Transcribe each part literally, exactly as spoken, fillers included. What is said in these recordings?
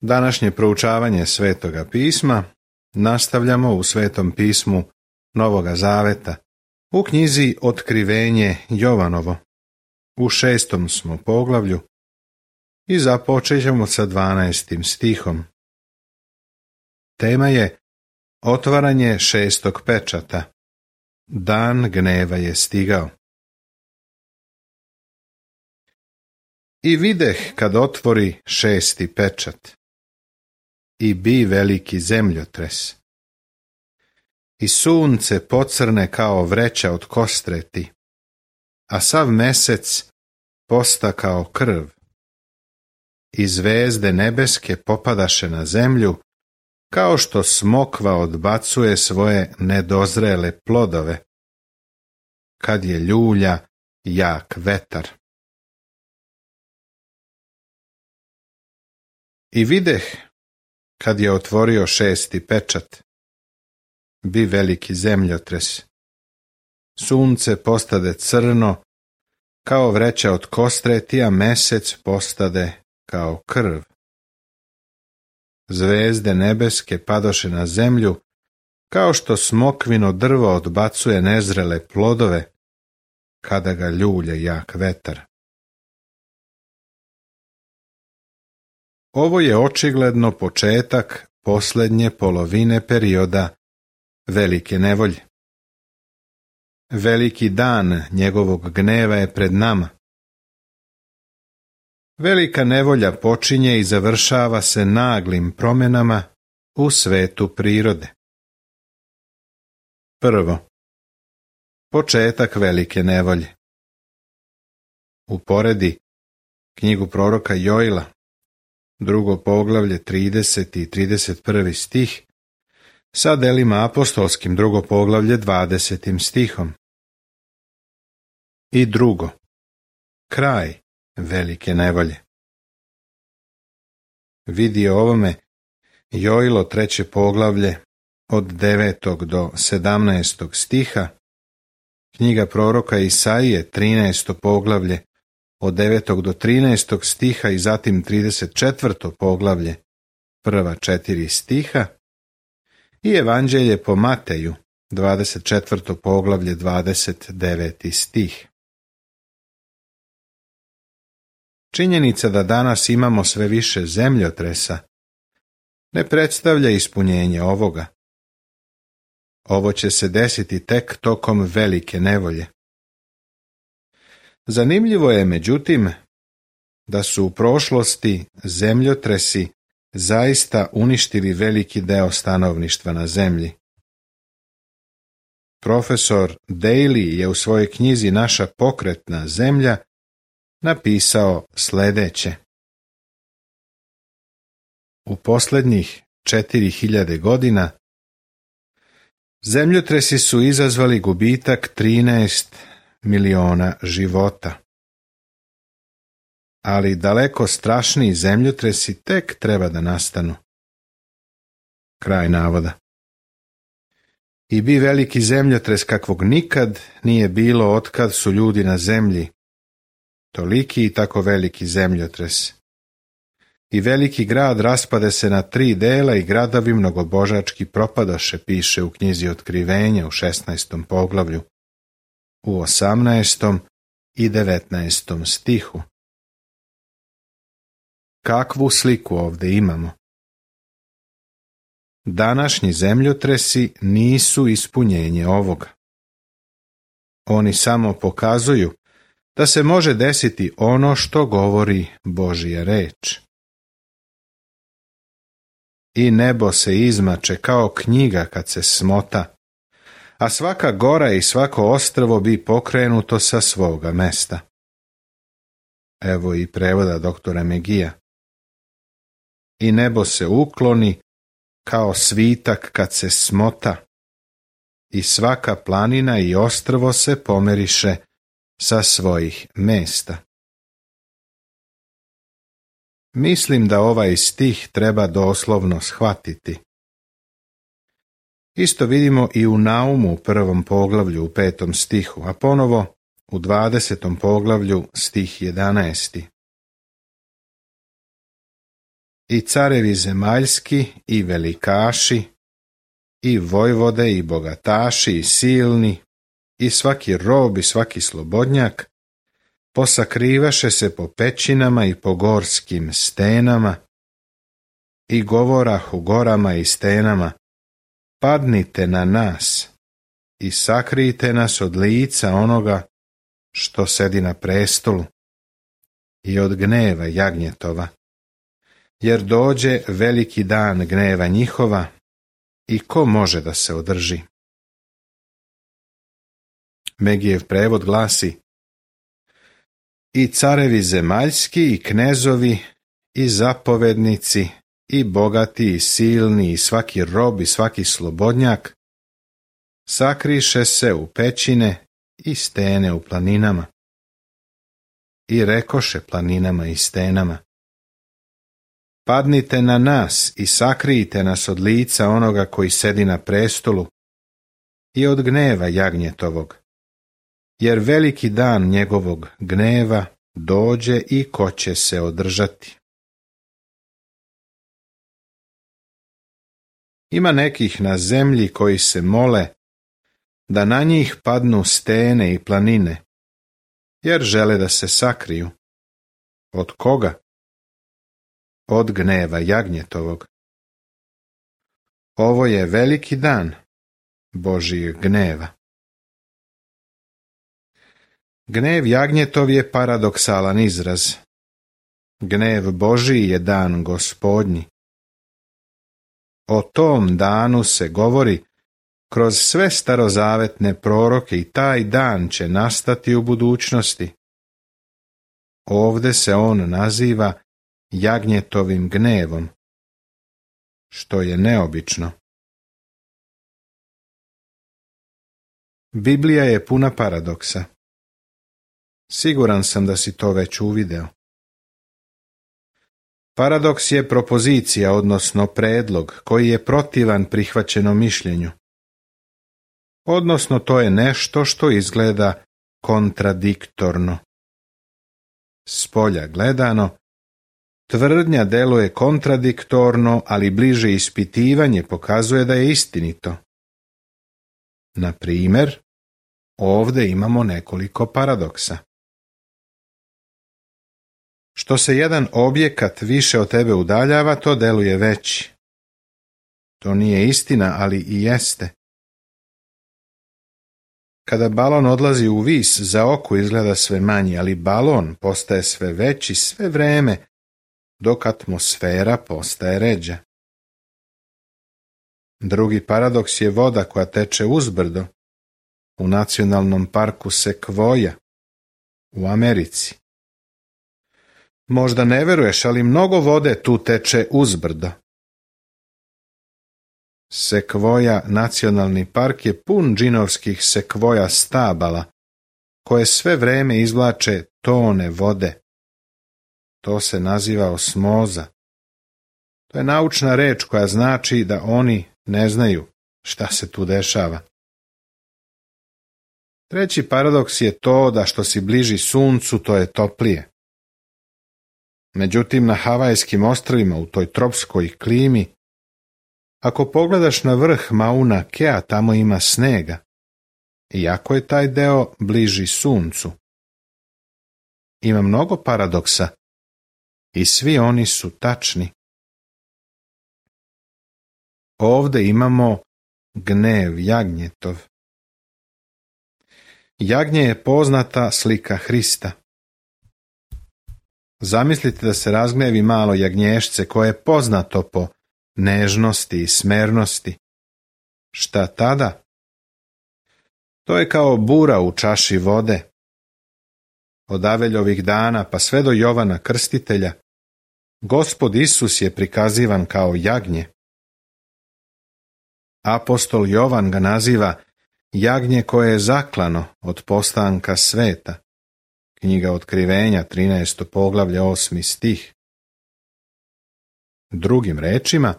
Današnje proučavanje Svetoga pisma nastavljamo u Svetom pismu Novoga Zaveta, u knjizi Otkrivenje Jovanovo. U šestom smo poglavlju i započet ćemo sa dvanaestim stihom. Tema je otvaranje šestog pečata. Dan gneva je stigao. I videh kad otvori šesti pečat. I bi veliki zemljotres. I sunce pocrne kao vreća od kostreti, a sav mesec posta kao krv. I zvezde nebeske popadaše na zemlju, kao što smokva odbacuje svoje nedozrele plodove, kad je ljulja jak vetar. I videh, kad je otvorio šesti pečat, bi veliki zemljotres. Sunce postade crno, kao vreća od kostreti, a mesec postade kao krv. Zvezde nebeske padoše na zemlju, kao što smokvino drvo odbacuje nezrele plodove, kada ga ljulja jak vetar. Ovo je očigledno početak posljednje polovine perioda velike nevolje. Veliki dan njegovog gneva je pred nama. Velika nevolja počinje i završava se naglim promjenama u svetu prirode. Prvo, početak velike nevolje. Uporedi knjigu proroka Joila, drugo poglavlje, trideseti i trideset prvi stih, sa delima apostolskim, drugo poglavlje, dvadesetim stihom. I drugo, kraj velike nevolje. Vidi ovome Joilo treće poglavlje od devetog do sedamnaestog stiha, knjiga proroka Isaije trinaesto poglavlje od devetog do trinaestog stiha i zatim trideset četvrto poglavlje, prva četiri stiha, i Evanđelje po Mateju, dvadeset četvrto poglavlje, dvadeset deveti stih. Činjenica da danas imamo sve više zemljotresa ne predstavlja ispunjenje ovoga. Ovo će se desiti tek tokom velike nevolje. Zanimljivo je, međutim, da su u prošlosti zemljotresi zaista uništili veliki deo stanovništva na zemlji. Profesor Daly je u svojoj knjizi Naša pokretna zemlja napisao sljedeće. U posljednjih četiri hiljade godina zemljotresi su izazvali gubitak trinaest miliona života. Ali daleko strašniji zemljotresi tek treba da nastanu. Kraj navoda. I bi veliki zemljotres kakvog nikad nije bilo otkad su ljudi na zemlji. Toliki i tako veliki zemljotres. I veliki grad raspade se na tri dela i gradovi mnogobožački propadoše, piše u knjizi Otkrivenja u šesnaestom poglavlju, u osamnaestom i devetnaestom stihu. Kakvu sliku ovdje imamo? Današnji zemljotresi nisu ispunjenje ovoga. Oni samo pokazuju da se može desiti ono što govori Božja reč. I nebo se izmače kao knjiga kad se smota, a svaka gora i svako ostrvo bi pokrenuto sa svoga mesta. Evo i prevoda doktora Megija. I nebo se ukloni kao svitak kad se smota, i svaka planina i ostrvo se pomeriše sa svojih mesta. Mislim da ovaj stih treba doslovno shvatiti. Isto vidimo i u Naumu u prvom poglavlju u petom stihu, a ponovo u dvadesetom poglavlju stih jedanaesti. i carevi zemaljski, i velikaši, i vojvode, i bogataši, i silni, i svaki rob, i svaki slobodnjak, posakrivaše se po pećinama i po gorskim stenama, i govorah u gorama i stenama, padnite na nas i sakrijte nas od lica onoga što sedi na prestolu i od gneva jagnjetova, jer dođe veliki dan gneva njihova i ko može da se održi? Megijev prevod glasi: i carevi zemaljski, i knezovi, i zapovednici, i bogati, i silni, i svaki rob, i svaki slobodnjak, sakriše se u pećine i stene u planinama. I rekoše planinama i stenama: padnite na nas i sakrijte nas od lica onoga koji sedi na prestolu i od gneva jagnjetovog, jer veliki dan njegovog gneva dođe i ko će se održati. Ima nekih na zemlji koji se mole da na njih padnu stene i planine, jer žele da se sakriju. Od koga? Od gneva jagnjetovog. Ovo je veliki dan Božijeg gneva. Gnev jagnjetov je paradoksalan izraz. Gnev Božiji je dan Gospodnji. O tom danu se govori kroz sve starozavetne proroke i taj dan će nastati u budućnosti. Ovde se on naziva jagnjetovim gnevom, što je neobično. Biblija je puna paradoksa. Siguran sam da si to već uvideo. Paradoks je propozicija, odnosno predlog, koji je protivan prihvaćenom mišljenju. Odnosno, to je nešto što izgleda kontradiktorno. Spolja gledano, tvrdnja deluje kontradiktorno, ali bliže ispitivanje pokazuje da je istinito. Na primjer, ovdje imamo nekoliko paradoksa. Što se jedan objekat više od tebe udaljava, to deluje veći. To nije istina, ali i jeste. Kada balon odlazi u vis, za oko izgleda sve manji, ali balon postaje sve veći sve vreme, dok atmosfera postaje ređa. Drugi paradoks je voda koja teče uzbrdo u nacionalnom parku Sekvoja u Americi. Možda ne veruješ, ali mnogo vode tu teče uzbrdo. Sekvoja nacionalni park je pun džinovskih sekvoja stabala, koje sve vreme izvlače tone vode. To se naziva osmoza. To je naučna reč koja znači da oni ne znaju šta se tu dešava. Treći paradoks je to da što si bliži suncu, to je toplije. Međutim, na Havajskim ostrvima u toj tropskoj klimi, ako pogledaš na vrh Mauna Kea, tamo ima snega, iako je taj deo bliži suncu. Ima mnogo paradoksa i svi oni su tačni. Ovdje imamo gnev jagnjetov. Jagnje je poznata slika Hrista. Zamislite da se razgnevi malo jagnješce koje je poznato po nežnosti i smernosti. Šta tada? To je kao bura u čaši vode. Od Aveljovih dana pa sve do Jovana Krstitelja, Gospod Isus je prikazivan kao jagnje. Apostol Jovan ga naziva jagnje koje je zaklano od postanka sveta. Knjiga Otkrivenja, trinaesto poglavlje, osmi stih. Drugim rečima,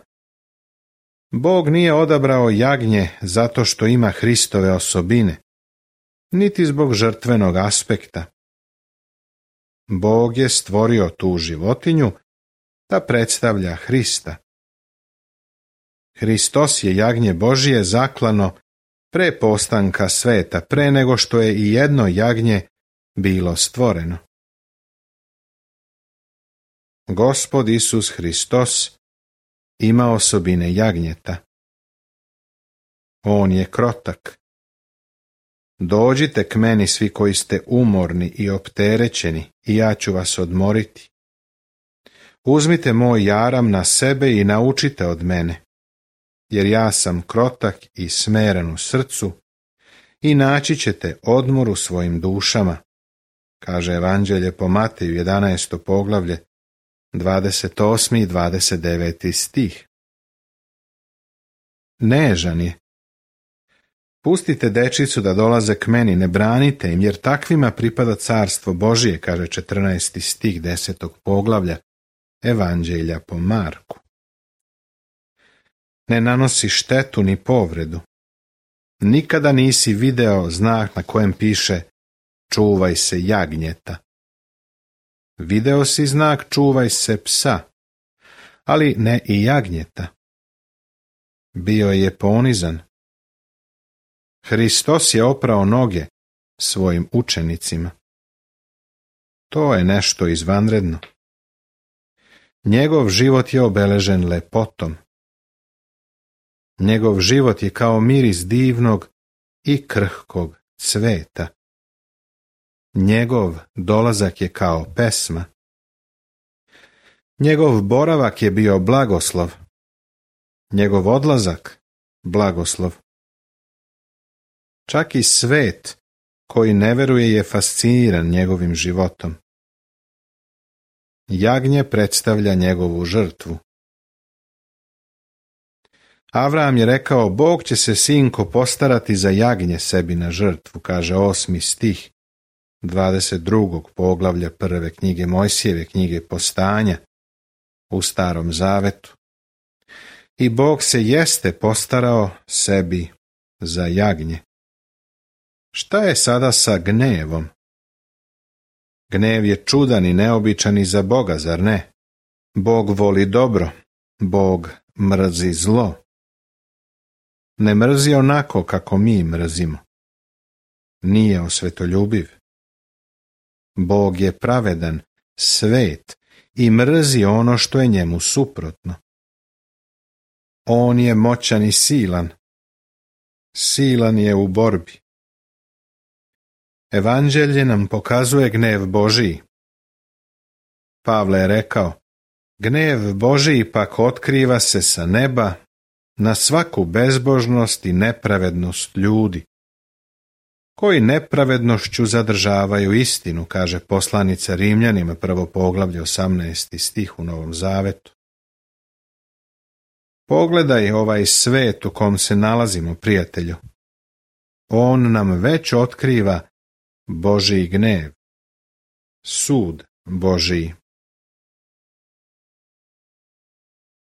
Bog nije odabrao jagnje zato što ima Hristove osobine, niti zbog žrtvenog aspekta. Bog je stvorio tu životinju da predstavlja Hrista. Hristos je jagnje Božije zaklano pre postanka sveta, pre nego što je i jedno jagnje bilo stvoreno. Gospod Isus Hristos ima osobine jagnjeta. On je krotak. Dođite k meni svi koji ste umorni i opterećeni, i ja ću vas odmoriti. Uzmite moj jaram na sebe i naučite od mene, jer ja sam krotak i smeren u srcu, i naći ćete odmor u svojim dušama, kaže Evanđelje po Mateju jedanaesto poglavlje, dvadeset osmi i dvadeset deveti stih. Nežan je. Pustite dečicu da dolaze k meni, ne branite im, jer takvima pripada carstvo Božije, kaže četrnaesti stih desetog poglavlja Evanđelja po Marku. Ne nanosi štetu ni povredu. Nikada nisi video znak na kojem piše čuvaj se jagnjeta. Video si znak čuvaj se psa, ali ne i jagnjeta. Bio je ponizan. Hristos je oprao noge svojim učenicima. To je nešto izvanredno. Njegov život je obeležen lepotom. Njegov život je kao miris divnog i krhkog cveta. Njegov dolazak je kao pesma. Njegov boravak je bio blagoslov. Njegov odlazak blagoslov. Čak i svet koji ne veruje je fasciniran njegovim životom. Jagnje predstavlja njegovu žrtvu. Avram je rekao, Bog će se sinko postarati za jagnje sebi na žrtvu, kaže osmi stih dvadeset drugog poglavlja prve knjige Mojsijeve knjige Postanja u Starom Zavetu. I Bog se jeste postarao sebi za jagnje. Šta je sada sa gnevom? Gnev je čudan i neobičan i za Boga, zar ne? Bog voli dobro, Bog mrzi zlo. Ne mrzi onako kako mi mrzimo. Nije osvetoljubiv. Bog je pravedan, svet i mrzi ono što je njemu suprotno. On je moćan i silan. Silan je u borbi. Evanđelje nam pokazuje gnev Božiji. Pavle je rekao, gnev Božiji pak otkriva se sa neba na svaku bezbožnost i nepravednost ljudi, koji nepravednošću zadržavaju istinu, kaže poslanica Rimljanima, prvo poglavlje osamnaesti stih u Novom Zavetu. Pogledaj ovaj svet u kom se nalazimo, prijatelju. On nam već otkriva Božji gnev, sud Božji.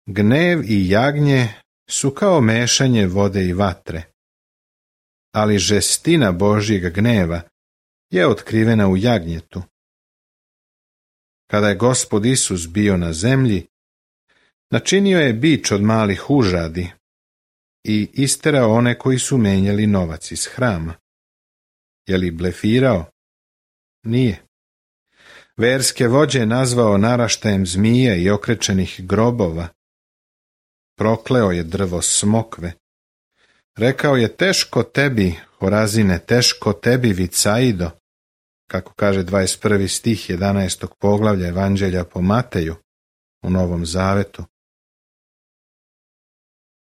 Gnev i jagnje su kao mešanje vode i vatre, ali žestina Božjeg gneva je otkrivena u jagnjetu. Kada je Gospod Isus bio na zemlji, načinio je bič od malih užadi i isterao one koji su menjali novac iz hrama. Je li blefirao? Nije. Verske vođe je nazvao naraštajem zmije i okrečenih grobova. Prokleo je drvo smokve. Rekao je, teško tebi, Horazine, teško tebi, Vicaido, kako kaže dvadeset prvi stih jedanaestog poglavlja Evanđelja po Mateju u Novom Zavetu.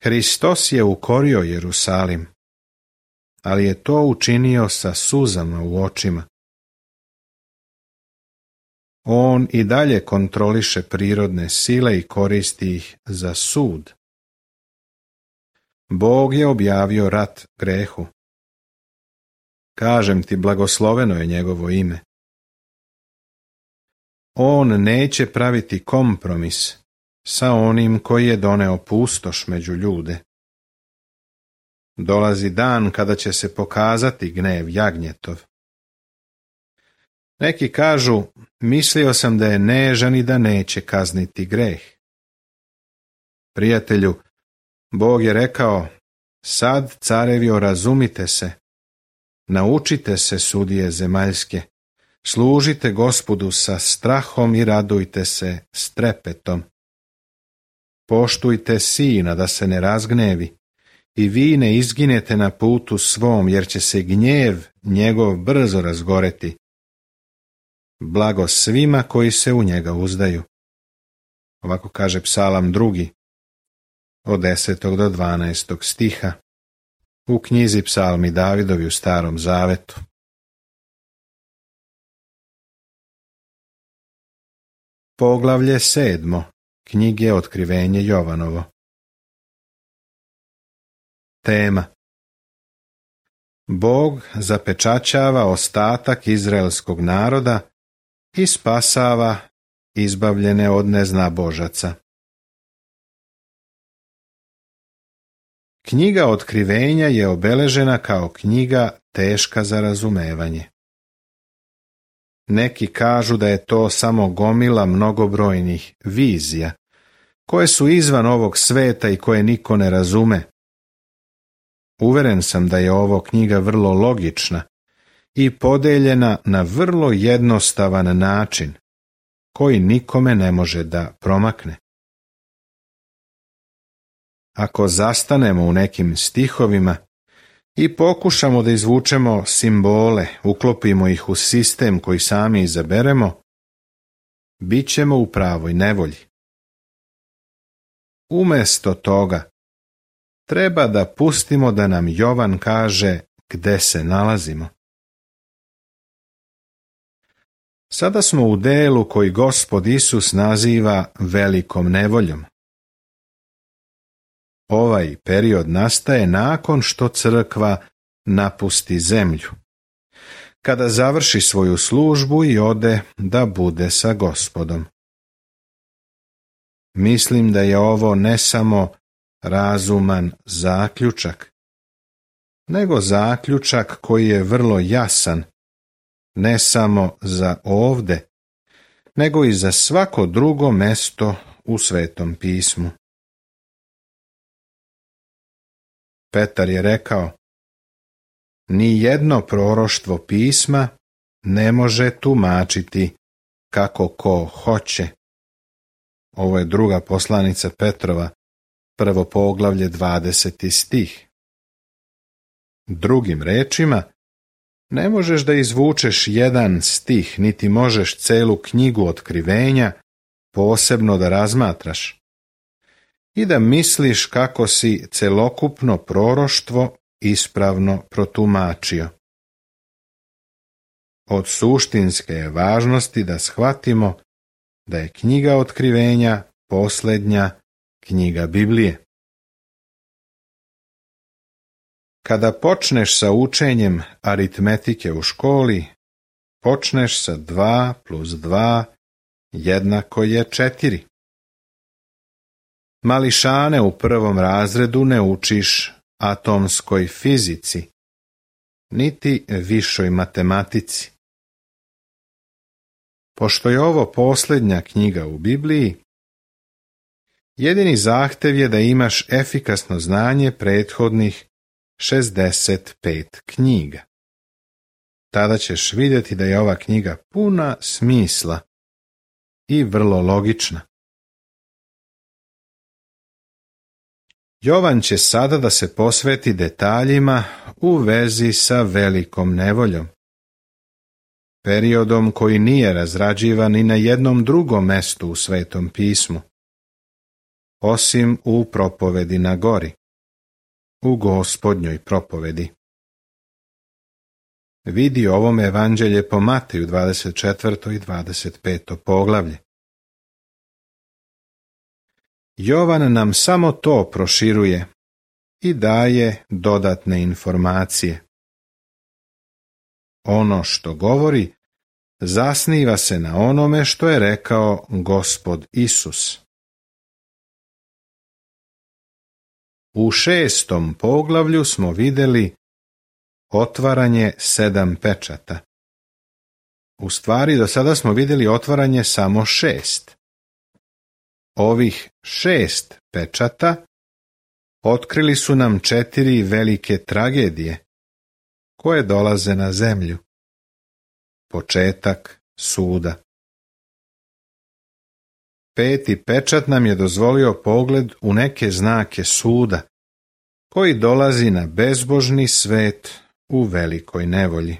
Hristos je ukorio Jerusalim, ali je to učinio sa suzama u očima. On i dalje kontroliše prirodne sile i koristi ih za sud. Bog je objavio rat grehu. Kažem ti, blagosloveno je njegovo ime. On neće praviti kompromis sa onim koji je doneo pustoš među ljude. Dolazi dan kada će se pokazati gnev jagnjetov. Neki kažu, mislio sam da je nežan i da neće kazniti greh. Prijatelju, Bog je rekao, sad, carevi, razumite se, naučite se, sudije zemaljske, služite Gospodu sa strahom i radujte se s trepetom. Poštujte sina da se ne razgnevi i vi ne izginete na putu svom, jer će se gnjev njegov brzo razgoreti. Blago svima koji se u njega uzdaju. Ovako kaže Psalam drugi, od desetog do dvanaestog stiha, u knjizi Psalmi Davidovi u Starom Zavetu. Poglavlje sedmo knjige Otkrivenje Jovanovo. Tema: Bog zapečaćava ostatak izraelskog naroda i spasava izbavljene od neznabožaca. Knjiga Otkrivenja je obeležena kao knjiga teška za razumevanje. Neki kažu da je to samo gomila mnogobrojnih vizija, koje su izvan ovog sveta i koje niko ne razume. Uveren sam da je ovo knjiga vrlo logična i podeljena na vrlo jednostavan način, koji nikome ne može da promakne. Ako zastanemo u nekim stihovima i pokušamo da izvučemo simbole, uklopimo ih u sistem koji sami izaberemo, bit ćemo u pravoj nevolji. Umjesto toga, treba da pustimo da nam Jovan kaže gde se nalazimo. Sada smo u delu koji Gospod Isus naziva velikom nevoljom. Ovaj period nastaje nakon što crkva napusti zemlju, kada završi svoju službu i ode da bude sa Gospodom. Mislim da je ovo ne samo razuman zaključak, nego zaključak koji je vrlo jasan, ne samo za ovde, nego i za svako drugo mesto u Svetom pismu. Petar je rekao, ni jedno proroštvo pisma ne može tumačiti kako ko hoće. Ovo je druga poslanica Petrova, prvo poglavlje, dvadeseti stih. Drugim rečima, ne možeš da izvučeš jedan stih, niti možeš celu knjigu Otkrivenja posebno da razmatraš i da misliš kako si celokupno proroštvo ispravno protumačio. Od suštinske je važnosti da shvatimo da je knjiga Otkrivenja posljednja knjiga Biblije. Kada počneš sa učenjem aritmetike u školi, počneš sa dva plus dva jednako je četiri. Mališane u prvom razredu ne učiš atomskoj fizici, niti višoj matematici. Pošto je ovo posljednja knjiga u Bibliji, jedini zahtev je da imaš efikasno znanje prethodnih šezdeset pet knjiga. Tada ćeš vidjeti da je ova knjiga puna smisla i vrlo logična. Jovan će sada da se posveti detaljima u vezi sa velikom nevoljom, periodom koji nije razrađivan ni na jednom drugom mestu u Svetom pismu, osim u propovedi na gori, u Gospodnjoj propovedi. Vidi ovom evanđelje po Mateju dvadeset četvrto i dvadeset peto poglavlje. Jovan nam samo to proširuje i daje dodatne informacije. Ono što govori zasniva se na onome što je rekao Gospod Isus. U šestom poglavlju smo vidjeli otvaranje sedam pečata. U stvari, do sada smo vidjeli otvaranje samo šest. Ovih šest pečata otkrili su nam četiri velike tragedije koje dolaze na zemlju. Početak suda. Peti pečat nam je dozvolio pogled u neke znake suda, koji dolazi na bezbožni svet u velikoj nevolji.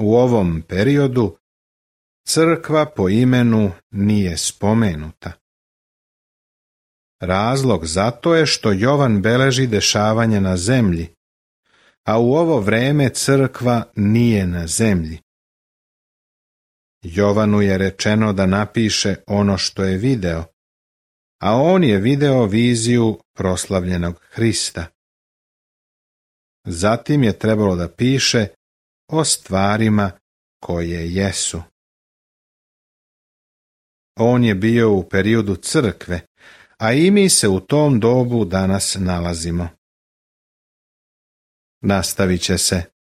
U ovom periodu crkva po imenu nije spomenuta. Razlog za to je što Jovan beleži dešavanja na zemlji, a u ovo vreme crkva nije na zemlji. Jovanu je rečeno da napiše ono što je video, a on je video viziju proslavljenog Hrista. Zatim je trebalo da piše o stvarima koje jesu. On je bio u periodu crkve, a i mi se u tom dobu danas nalazimo. Nastavit će se.